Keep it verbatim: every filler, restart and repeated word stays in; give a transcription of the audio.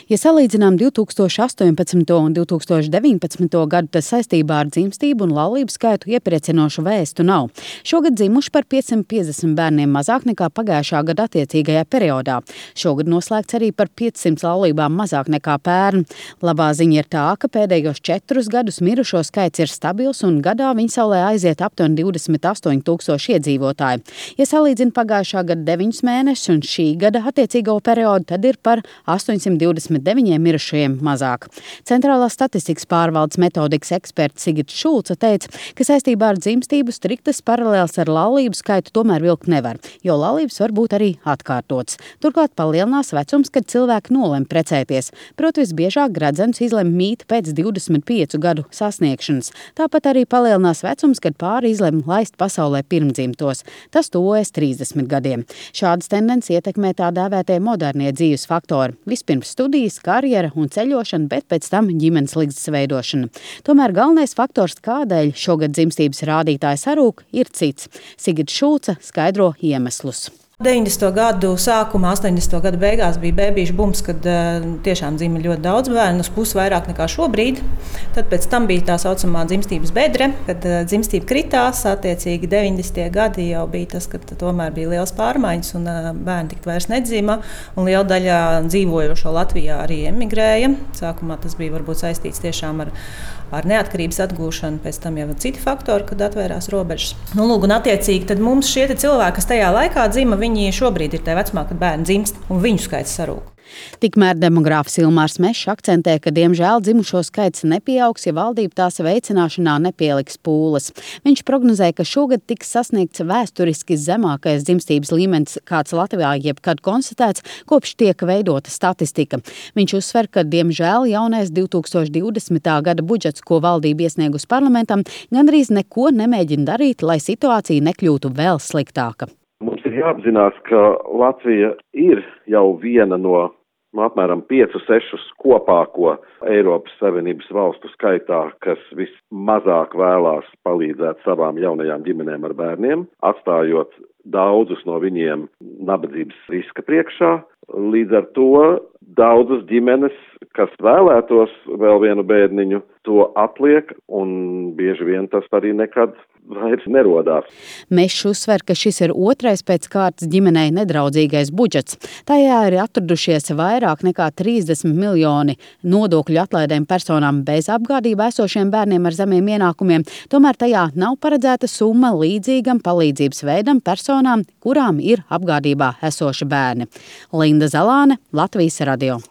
Ja salīdzinām divi tūkstoši astoņpadsmito un divi tūkstoši deviņpadsmito gadu, tad saistībā ar dzimstību un laulību skaitu iepriecinošu vēstu nav. Šogad dzimuši par piecsimt piecdesmit bērniem mazāk nekā pagājušā gada attiecīgajā periodā. Šogad noslēgts arī par piecsimt laulībām mazāk nekā pērn. Labā ziņa ir tā, ka pēdējos četrus gadus mirušo skaits ir stabils un gadā viņsaulē aiziet aptuveni divdesmit astoņi tūkstoši iedzīvotāji. Ja salīdzina pagājušā gada deviņus mēnešus un šī gada attiecīgo periodu, tad ir par astoņsimt divdesmit deviņiem mirušajiem mazāk. Centrālās statistikas pārvaldes metodikas eksperts Sigita Šulce teica, ka saistībā ar dzimstību striktas paralēles ar laulību skaitu tomēr vilkt nevar, jo laulības var būt arī atkārtotas. Turklāt palielinās vecums, kad cilvēki nolem precēties. Proti visbiežāk gradzenis izlem mīt pēc divdesmit piecu gadu sasniegšanas. Tāpat arī palielinās vecums, kad pāri izlem laist pasaulē pirmdzimtos. Tas tuvojas trīsdesmit gadiem. Šādas tendences ietekmē tā dēvētie modernie dzīves faktori. Vispirms studijas, karjera un ceļošana, bet pēc tam ģimenes ligzdas veidošana. Tomēr galvenais faktors, kādēļ šogad dzimstības rādītāji sarūk, ir cits. Sigita Šulce skaidro iemeslus. deviņdesmito gadu sākumā, astoņdesmito gadu beigās bija bēbīšu bums, kad uh, tiešām dzima ļoti daudz bērnu, uz pusi vairāk nekā šobrīd. Tad pēc tam bija tā saucamā dzimstības bedre, kad uh, dzimstība kritās. Attiecīgi deviņdesmitie gadi jau bija tas, kad tomēr bija liels pārmaiņas un uh, bērni tik vairs nedzima. Un liela daļa dzīvojošo Latvijā arī emigrēja. Sākumā tas bija varbūt saistīts tiešām ar ar neatkarības atgūšanu, pēc tam jau citi faktori, kad atvērās robežas. Nu, lūk, un attiecīgi tad mums šie cilvēki, kas tajā laikā dzima, viņi šobrīd ir tajā vecumā, kad bērni dzimst, un viņu skaits sarūk. Tikmēr demogrāfs Ilmārs Mešs akcentē, ka diemžēl dzimušo skaits nepieaugs, ja valdība tās veicināšanā nepieliks pūles. Viņš prognozē, ka šogad tiks sasniegts vēsturiski zemākais dzimstības līmenis, kāds Latvijā jebkad konstatēts, kopš tiek veidota statistika. Viņš uzsver, ka diemžēl jaunais divi tūkstoši divdesmitā gada budžets, ko valdība iesniegus parlamentam, gandrīz neko nemēģina darīt, lai situācija nekļūtu vēl sliktāka. Mums ir jāapzinās, ka Latvija ir jau viena no apmēram piecu, sešus kopāko Eiropas Savienības valstu skaitā, kas vismazāk vēlās palīdzēt savām jaunajām ģimenēm ar bērniem, atstājot daudzus no viņiem nabadzības riska priekšā. Līdz ar to daudzas ģimenes, kas vēlētos vēl vienu bērniņu, to atliek, un bieži vien tas arī nekad vairs nerodās. Mešs uzsver, ka šis ir otrais pēc kārtas ģimenei nedraudzīgais budžets. Tajā ir atradušies vairāk nekā trīsdesmit miljoni nodokļu atlaidēm personām bez apgādībā esošiem bērniem ar zemiem ienākumiem. Tomēr tajā nav paredzēta summa līdzīgam palīdzības veidam personām, kurām ir apgādībā esoši bērni. Linda Zalāne, Latvijas radio.